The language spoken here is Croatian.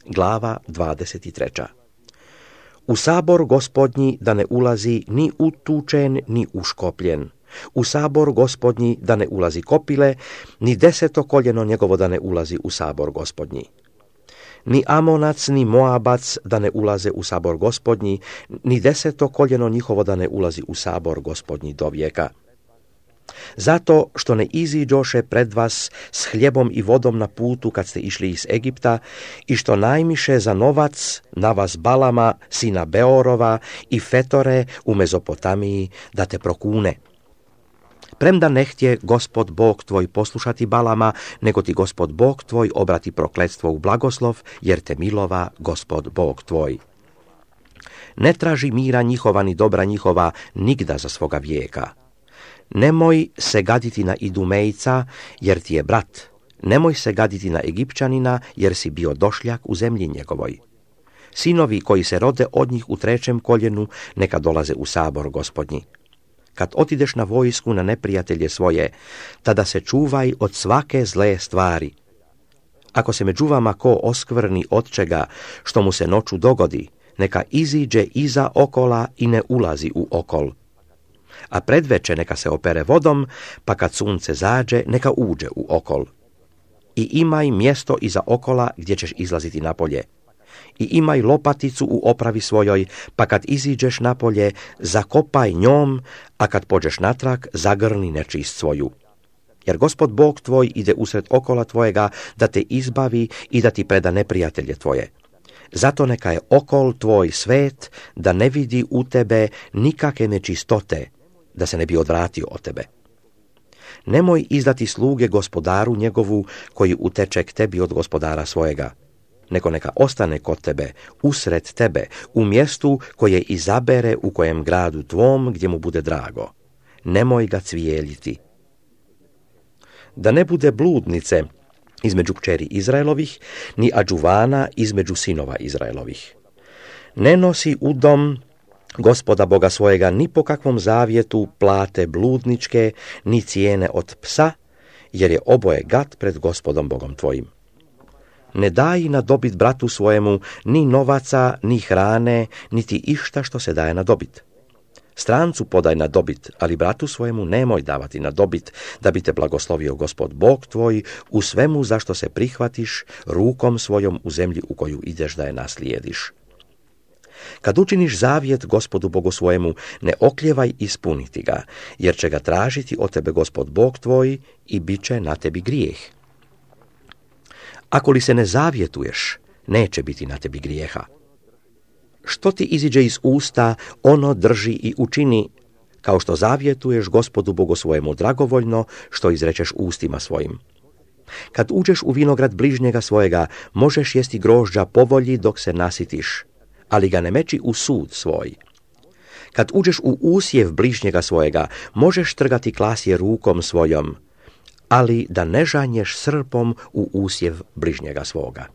glava 23. U sabor Gospodnji da ne ulazi ni utučen, ni uškopljen. U sabor Gospodnji da ne ulazi kopile, ni 10. koljeno njegovo da ne ulazi u sabor Gospodnji. Ni Amonac, ni Moabac da ne ulaze u sabor Gospodnji, ni 10. koljeno njihovo da ne ulazi u sabor Gospodnji do vijeka. Zato što ne iziđoše pred vas s hljebom i vodom na putu kad ste išli iz Egipta i što najmiše za novac na vas Balama, sina Beorova i Fetore u Mezopotamiji da te prokune. Premda ne htje Gospod Bog tvoj poslušati Balama, nego ti Gospod Bog tvoj obrati prokletstvo u blagoslov, jer te milova Gospod Bog tvoj. Ne traži mira njihova ni dobra njihova nigda za svoga vijeka. Nemoj se gaditi na Idumejca, jer ti je brat. Nemoj se gaditi na Egipćanina, jer si bio došljak u zemlji njegovoj. Sinovi koji se rode od njih u 3. koljenu, neka dolaze u sabor Gospodnji. Kad otideš na vojsku na neprijatelje svoje, tada se čuvaj od svake zle stvari. Ako se među vama ko oskvrni od čega što mu se noću dogodi, neka iziđe iza okola i ne ulazi u okol. A predveče neka se opere vodom, pa kad sunce zađe, neka uđe u okol. I imaj mjesto iza okola gdje ćeš izlaziti napolje. I imaj lopaticu u opravi svojoj, pa kad iziđeš napolje, zakopaj njom, a kad pođeš natrag, zagrni nečist svoju. Jer Gospod Bog tvoj ide usred okola tvojega da te izbavi i da ti preda neprijatelje tvoje. Zato neka je okol tvoj svet, da ne vidi u tebe nikakve nečistote, da se ne bi odvratio od tebe. Nemoj izdati sluge gospodaru njegovu koji uteče k tebi od gospodara svojega, nego neka ostane kod tebe, usred tebe, u mjestu koje izabere u kojem gradu tvom gdje mu bude drago. Nemoj ga cvijeljiti. Da ne bude bludnice između kćeri Izraelovih, ni adžuvana između sinova Izraelovih. Ne nosi u dom Gospoda Boga svojega ni po kakvom zavjetu plate bludničke, ni cijene od psa, jer je oboje gad pred Gospodom Bogom tvojim. Ne daj na dobit bratu svojemu ni novaca, ni hrane, niti išta što se daje na dobit. Strancu podaj na dobit, ali bratu svojemu nemoj davati na dobit, da bi te blagoslovio Gospod Bog tvoj u svemu zašto se prihvatiš rukom svojom u zemlji u koju ideš da je naslijediš. Kad učiniš zavjet Gospodu Bogu svojemu, ne okljevaj ispuniti ga, jer će ga tražiti od tebe Gospod Bog tvoj i bit će na tebi grijeh. Ako li se ne zavjetuješ, neće biti na tebi grijeha. Što ti iziđe iz usta, ono drži i učini, kao što zavjetuješ Gospodu Bogu svojemu dragovoljno, što izrečeš ustima svojim. Kad uđeš u vinograd bližnjega svojega, možeš jesti grožđa po volji dok se nasitiš, ali ga ne meči u sud svoj. Kad uđeš u usjev bližnjega svojega, možeš trgati klasje rukom svojom, ali da ne žanješ srpom u usjev bližnjega svoga.